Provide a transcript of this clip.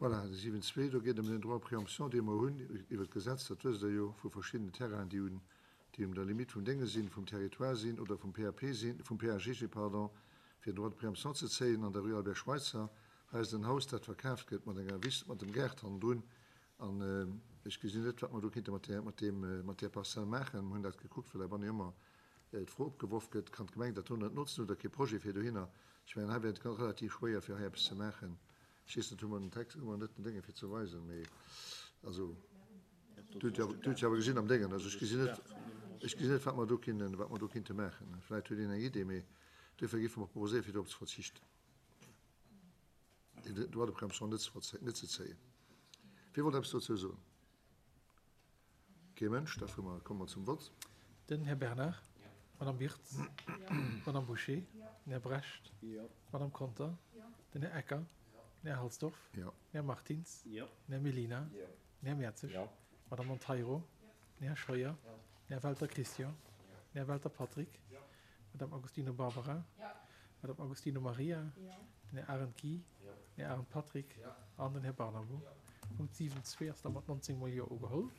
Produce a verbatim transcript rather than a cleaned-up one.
Voilà, de siwen zwee, do geet et ëm den Droit de préemption, dee mer hunn iwwert d'Gesetz, dat wësst Der jo, vu verschiddenen Terrainen, déi un, déi un der Limite vum Dénge sinn, vum Territoire sinn oder vum P A P sinn, vum P A G G, pardon, fir den Droit de préemption ze zéien an der Rue Albert Schweitzer. Hei ass et en Haus, dat verkaaft gëtt mat enger Wiss, mat dem Gaart hannendrun. An ech gesinn net, wat mer do kinnte mat där, mat deem, mat där Parzell maachen. Mer hunn dat gekuckt, well heibanne jo ëmmer d'Fro opgeworf gëtt, Kann d'Gemeng dat do net notzen? Hutt Der kee Projet fir dohinner? Ech mengen, hei wär et relativ schwéier, fir hei eppes ze maachen. Ech weess net, hu mer den Text, hu mer net den Dénge fir ze weisen, mee also, Du hutt jo, du hutt jo awer gesinn am Déngen. Also ech gesinn net, ech gesinn net, wat mer do kinnen, wat mer do kinnte maachen. Vläicht huet een eng Idee, mee duerfir géife mer proposéieren, fir dorop ze verzichten, den Droit de préemption net ze, net ze zéien. Wie wollt eppes dozou soen? Kee Mënsch. Da fuere mer, komme mer zum Vott. Den Här Bernard. D'Madame Wirtz. D'Madame Bouché. Den Här Brecht. D'Madame Conter. Den Här Ecker. Den Här Halsdorf. Den Här Martins. Den Här Mellina. Den Här Mertzig. D'Madame Monteiro. Den Här Scheuer. Den Här Welter Christian. Den Här Welter Patrick. D'Madame Agostino Barbara. D'Madame Agostino Maria. Den Här Arendt Guy. Den Här Arendt Patrick an den Här Barnabo. Punkt siwen zwee ass da mat nonzéng mol Jo ugeholl.